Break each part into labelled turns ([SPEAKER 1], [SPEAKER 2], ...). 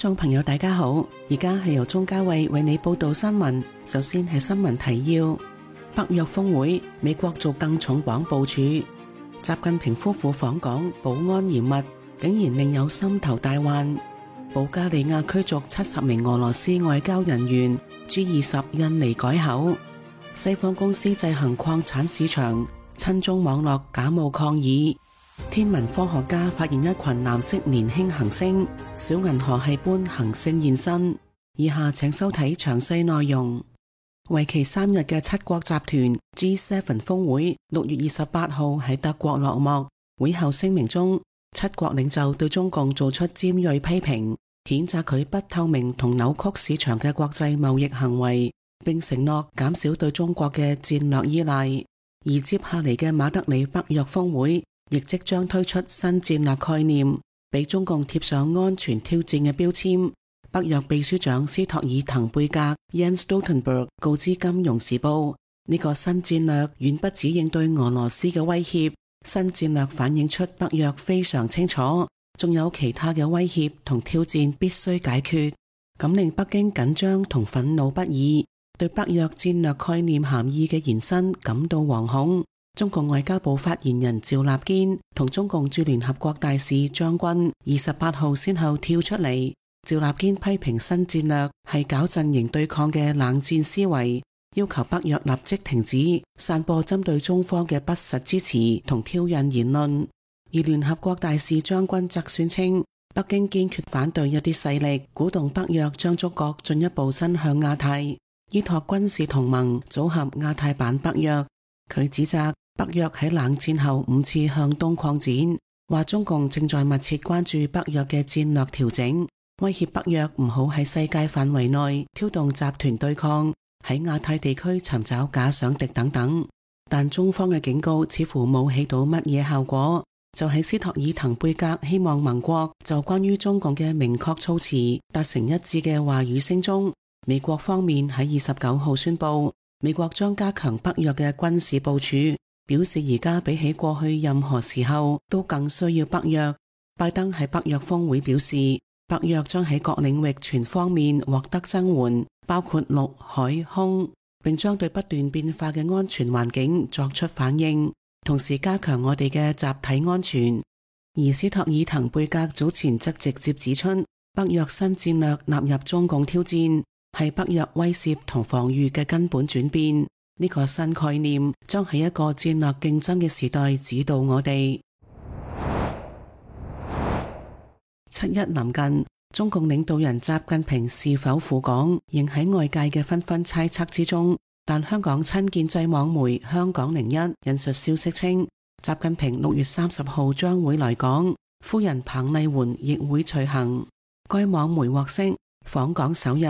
[SPEAKER 1] 眾朋友大家好，而家係由鍾嘉慧為你報道新聞。首先係新聞提要：北約峰會，美國做更重磅部署。習近平夫婦訪港，保安嚴密，竟然另有心頭大患。保加利亞驅逐70名俄羅斯外交人員。G20 印尼改口。西方公司制衡礦產市場，親中網絡假冒抗議。天文科學家發現一群藍色年輕行星，小銀河系般行星現身。以下請收睇詳細內容。為期3日嘅七國集團 G7 峰會6月28號喺德國落幕。會後聲明中，七國領袖對中共做出尖銳批評，譴責佢不透明同扭曲市場嘅國際貿易行為，並承諾減少對中國嘅戰略依賴。而接下嚟嘅馬德里北約峰會亦即將推出新戰略概念，俾中共貼上安全挑戰嘅標籤。北約秘書長斯托爾滕貝格 Jens Stoltenberg 告知《金融時報》，呢個新戰略遠不止應對俄羅斯嘅威脅，新戰略反映出北約非常清楚，仲有其他嘅威脅同挑戰必須解決，咁令北京緊張同憤怒不已，對北約戰略概念含義嘅延伸感到惶恐。中共外交部發言人趙立堅同中共駐聯合國大使張軍28號先後跳出嚟。趙立堅批評新戰略係搞陣營對抗嘅冷戰思維，要求北約立即停止散播針對中方嘅不實支持同挑釁言論。而聯合國大使張軍則宣稱，北京堅決反對一啲勢力鼓動北約將觸角進一步伸向亞太，依託軍事同盟組合亞太版北約。佢指責北約喺冷戰後5次向東擴展，話中共正在密切關注北約嘅戰略調整，威脅北約唔好喺世界範圍內挑動集團對抗，喺亞太地區尋找假想敵等等。但中方嘅警告似乎冇起到乜嘢效果，就喺斯托爾滕貝格希望盟國就關於中共嘅明確措辭達成一致嘅話語聲中，美國方面喺29號宣布，美國將加強北約嘅軍事部署，表示而家比起過去任何時候都更需要北約。拜登喺北約峰會表示，北約將喺各領域全方面獲得增援，包括陸海空，並將對不斷變化嘅安全環境作出反應，同時加強我哋嘅集體安全。而斯托爾滕貝格早前則直接指出，北約新戰略納入中共挑戰，係北約威懾同防禦嘅根本轉變。呢個新概念將喺一個戰略競爭嘅時代指導我哋。7一臨近，中共領導人習近平是否赴港，仍喺外界嘅紛紛猜測之中。但香港親建制網媒香港01引述消息稱，習近平6月30號將會來港，夫人彭麗媛亦會隨行。該網媒獲悉，訪港首日，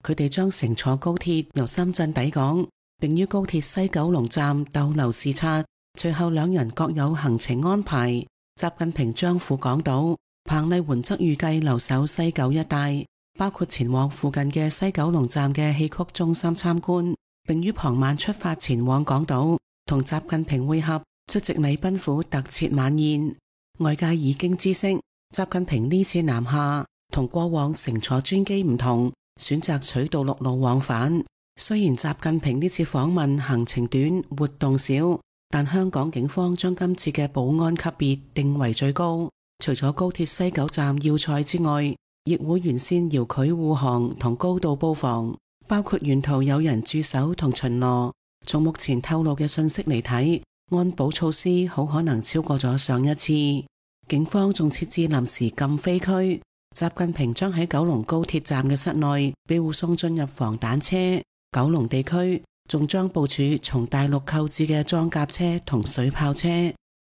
[SPEAKER 1] 佢哋將乘坐高鐵由深圳抵港，並於高鐵西九龍站逗留視察。隨後兩人各有行程安排。習近平將赴港島，彭麗媛則預計留守西九一帶，包括前往附近嘅西九龍站嘅戲曲中心參觀，並於傍晚出發前往港島，同習近平會合，出席禮賓府特設晚宴。外界已經知悉，習近平呢次南下同過往乘坐專機唔同，選擇取道陸路往返。雖然習近平呢次訪問行程短、活動少，但香港警方將今次嘅保安級別定為最高。除咗高鐵西九站要塞之外，亦會完善遙距護航同高度布防，包括沿途有人駐守同巡邏。從目前透露嘅信息嚟睇，安保措施好可能超過咗上一次。警方仲設置臨時禁飛區，習近平將喺九龍高鐵站嘅室內被護送進入防彈車。九龍地區仲將部署從大陸購置嘅裝甲車同水炮車。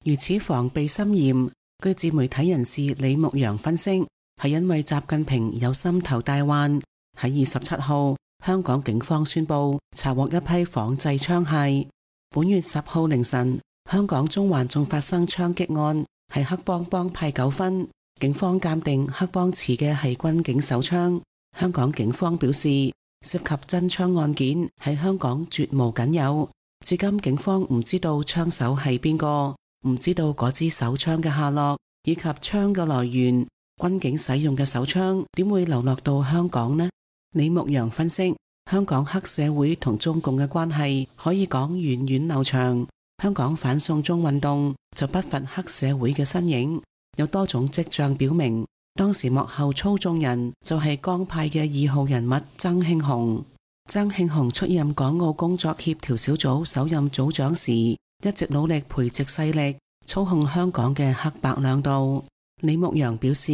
[SPEAKER 1] 如此防備森嚴，據自媒體人士李牧陽分析，係因為習近平有心頭大患。喺27號，香港警方宣布查獲一批仿製槍械。本月10號凌晨，香港中環仲發生槍擊案，係黑幫幫派糾紛。警方鑑定黑幫持嘅係軍警手槍。香港警方表示，涉及真槍案件喺香港絕無僅有，至今警方唔知道槍手係邊個，唔知道嗰支手槍嘅下落以及槍嘅來源。軍警使用嘅手槍點會流落到香港呢？李牧陽分析，香港黑社會同中共嘅關係可以講源遠流長，香港反送中運動就不乏黑社會嘅身影，有多種跡象表明當時幕後操縱人就係江派嘅2號人物曾慶紅。曾慶紅出任港澳工作協調小組首任組長時，一直努力培植勢力，操控香港嘅黑白兩道。李牧陽表示，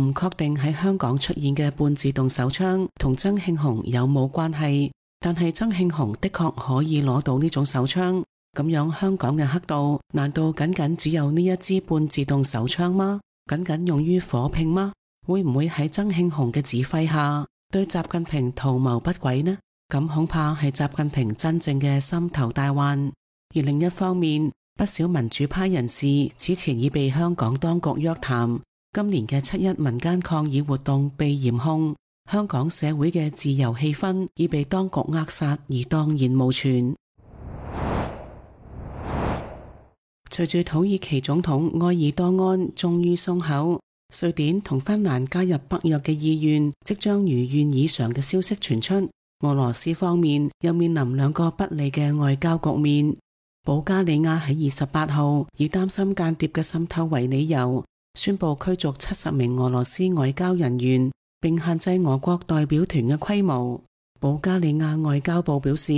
[SPEAKER 1] 唔確定喺香港出現嘅半自動手槍同曾慶紅有冇關係，但係曾慶紅的確可以攞到呢種手槍，咁樣香港嘅黑道難道僅僅只有呢一支半自動手槍嗎？僅僅用於火拼嗎？會唔會喺曾慶紅嘅指揮下對習近平圖謀不軌呢？咁恐怕係習近平真正嘅心頭大患。而另一方面，不少民主派人士此前已被香港當局約談，今年嘅7·1民間抗議活動被嚴控，香港社會嘅自由氣氛已被當局扼殺而蕩然無存。隨住土耳其總統埃爾多安終於鬆口，瑞典同芬蘭加入北約嘅意願即將如願以償嘅消息傳出，俄羅斯方面又面臨2個不利嘅外交局面。保加利亞喺28號以擔心間諜嘅滲透為理由，宣布驅逐70名俄羅斯外交人員，並限制俄國代表團嘅規模。保加利亞外交部表示，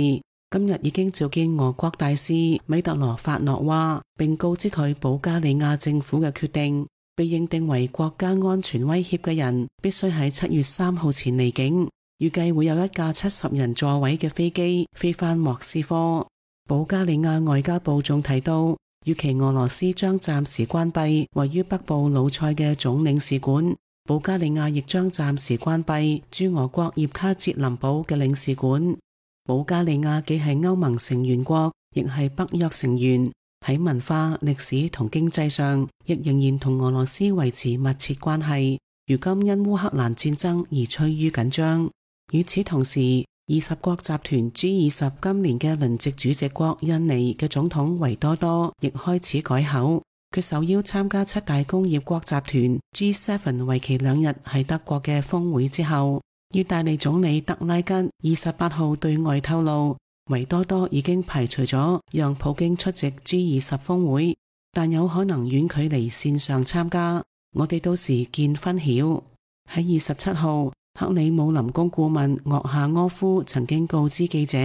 [SPEAKER 1] 今日已經召見俄國大使米特羅法諾娃，並告知佢保加利亞政府嘅決定，被認定為國家安全威脅嘅人必須喺7月3號前離境。預計會有一架70人座位嘅飛機飛返莫斯科。保加利亞外交部仲提到，預期俄羅斯將暫時關閉位於北部魯塞嘅總領事館，保加利亞亦將暫時關閉駐俄國葉卡捷林堡嘅領事館。保加利亞既係歐盟成員國，亦係北約成員，喺文化、歷史同經濟上，亦仍然同俄羅斯維持密切關係。如今因烏克蘭戰爭而趨於緊張。與此同時，20國集團 G20 今年嘅輪值主席國印尼嘅總統維多多亦開始改口，佢受邀參加7大工業國集團 G7 為期2日喺德國嘅峰會之後，意大利總理德拉吉28號對外透露，維多多已經排除咗讓普京出席 G20 峰會，但有可能遠距離線上參加，我哋到時見分曉。喺27號，克里姆林宮顧問岳夏柯夫曾經告知記者，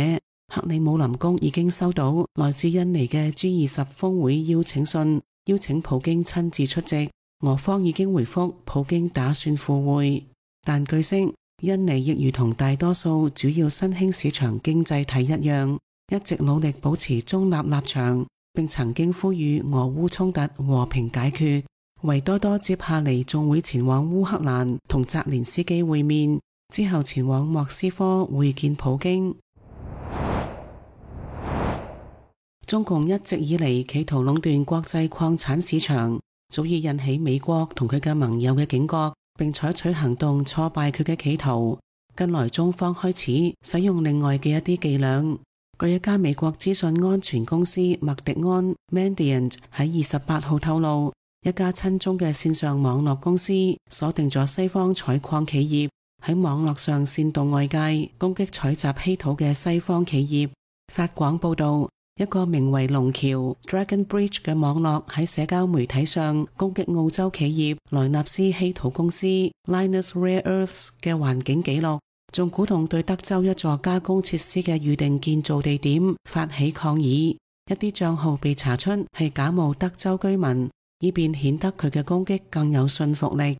[SPEAKER 1] 克里姆林宮已經收到來自印尼嘅 G20 峰會邀請信，邀請普京親自出席。俄方已經回覆普京打算赴會，但據悉印尼亦如同大多數主要新興市場經濟體一樣，一直努力保持中立立場，並曾經呼籲俄烏衝突和平解決。維多多接下嚟仲會前往烏克蘭同澤連斯基會面，之後前往莫斯科會見普京。中共一直以嚟企圖壟斷國際礦產市場，早已引起美國同佢嘅盟友嘅警覺，並採取行動挫敗佢嘅企圖。近來中方開始使用另外嘅一啲伎倆。據一家美國資訊安全公司麥迪安 Mandiant 喺28號透露，一家親中嘅線上網絡公司鎖定咗西方採礦企業，喺網絡上煽動外界攻擊採集稀土嘅西方企業。法廣報道，一個名為龍橋 Dragon Bridge 嘅網絡喺社交媒體上攻擊澳洲企業萊納斯稀土公司 Lynas Rare Earths 嘅環境記錄，仲鼓動對德州一座加工設施嘅預定建造地點發起抗議。一啲賬號被查出係假冒德州居民，以便顯得佢嘅攻擊更有說服力。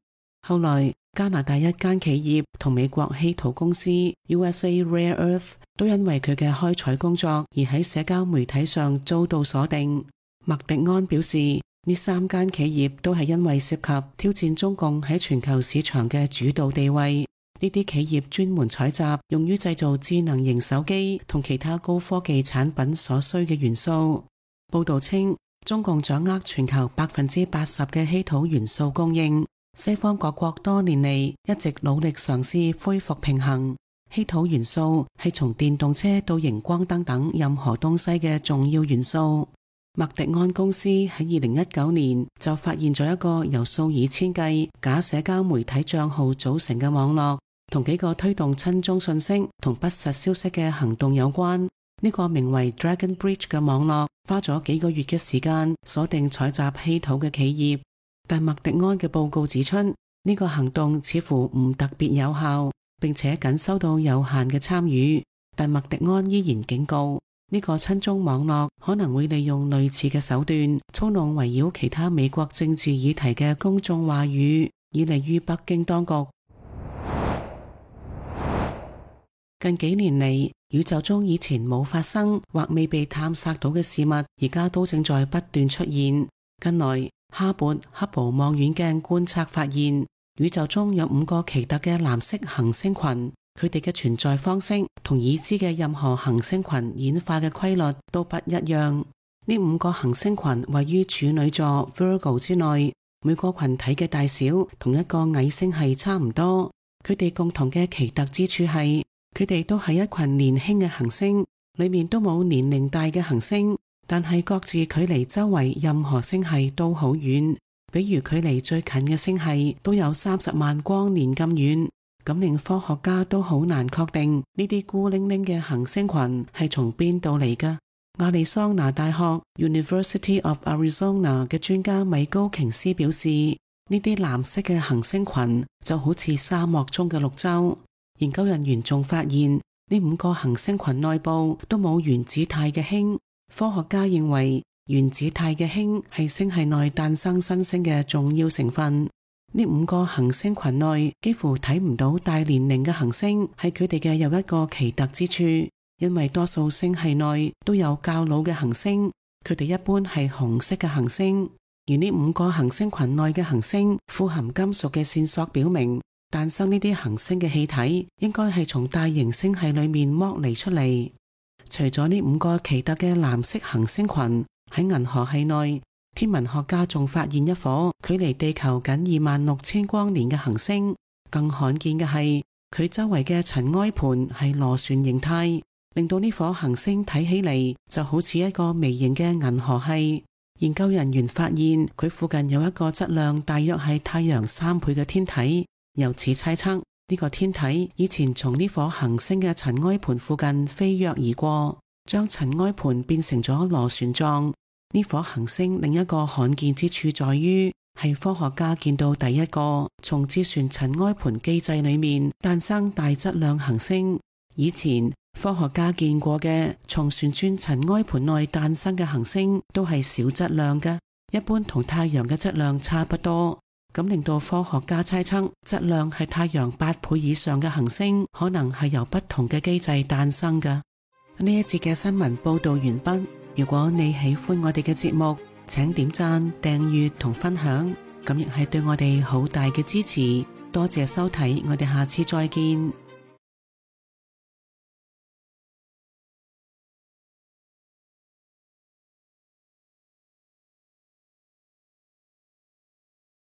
[SPEAKER 1] 後來加拿大一間企業同美國稀土公司 USA Rare Earth 都因為佢嘅開採工作而喺社交媒體上遭到鎖定。麥迪安表示，呢3間企業都係因為涉及挑戰中共喺全球市場嘅主導地位。呢啲企業專門採集用於製造智能型手機同其他高科技產品所需嘅元素。報道稱，中共掌握全球80%嘅稀土元素供應，西方各國多年嚟一直努力嘗試恢復平衡。稀土元素係從電動車到熒光燈等任何東西嘅重要元素。麥迪安公司喺2019年就發現咗一個由數以千計假社交媒體賬號組成嘅網絡，同幾個推動親中信息同不實消息嘅行動有關。呢個名為 Dragon Bridge 嘅網絡花咗幾個月嘅時間鎖定採集稀土嘅企業，但麥迪安嘅報告指出，呢個行動似乎唔特別有效，並且僅收到有限嘅參與。但麥迪安依然警告，呢個親中網絡可能會利用類似嘅手段操弄圍繞其他美國政治議題嘅公眾話語，以利於北京當局。近幾年嚟，宇宙中以前冇發生或未被探索到嘅事物，而家都正在不斷出現。近來，哈勃·布望遠鏡觀測發現，宇宙中有5個奇特嘅藍色行星群，佢哋嘅存在方式同已知嘅任何行星群演化嘅規律都不一樣。呢5個行星群位於處女座 Virgo 之內，每個群體嘅大小同一個矮星系差唔多。佢哋共同嘅奇特之處係，佢哋都係一群年輕嘅行星，裏面都冇年齡大嘅行星，但係各自距離周圍任何星系都好遠，比如距離最近嘅星系都有30萬光年咁遠，咁令科學家都好難確定呢啲孤零零嘅行星群係從邊度嚟㗎。亞利桑那大學 University of Arizona 嘅專家米高瓊斯表示，呢啲藍色嘅行星群就好似沙漠中嘅綠洲。研究人員仲發現，呢5個行星群內部都冇原子態嘅氫。科學家認為原子態嘅氫係星系內誕生新星嘅重要成分。呢5個行星群內幾乎睇唔到大年齡嘅行星，係佢哋嘅又一個奇特之處。因為多數星系內都有較老嘅行星，佢哋一般係紅色嘅行星。而呢5個行星群內嘅行星富含金屬嘅線索表明，誕生呢啲行星嘅氣體應該係從大型星系裏面剝離出嚟。除咗呢5個奇特嘅藍色行星群，喺銀河系內，天文學家仲發現一顆距離地球僅26000光年嘅行星。更罕見嘅係，佢周圍嘅塵埃盤係螺旋形態，令到呢顆行星睇起嚟就好似一個微型嘅銀河系。研究人員發現佢附近有一個質量大約係太陽3倍嘅天體。由此猜測，呢個天體以前從呢顆行星嘅塵埃盤附近飛躍而過，將塵埃盤變成咗螺旋狀。呢顆行星另一個罕見之處在於，係科學家見到第一個從自旋塵埃盤機制裏面誕生大質量行星。以前科學家見過嘅從旋轉塵埃盤內誕生嘅行星都係小質量嘅，一般同太陽嘅質量差不多。咁令到科學家猜測，質量係太陽8倍以上嘅行星，可能係由不同嘅機制誕生㗎。呢一節嘅新聞報道完畢。如果你喜歡我哋嘅節目，請點讚、訂閱同分享，咁亦係對我哋好大嘅支持。多謝收睇，我哋下次再見。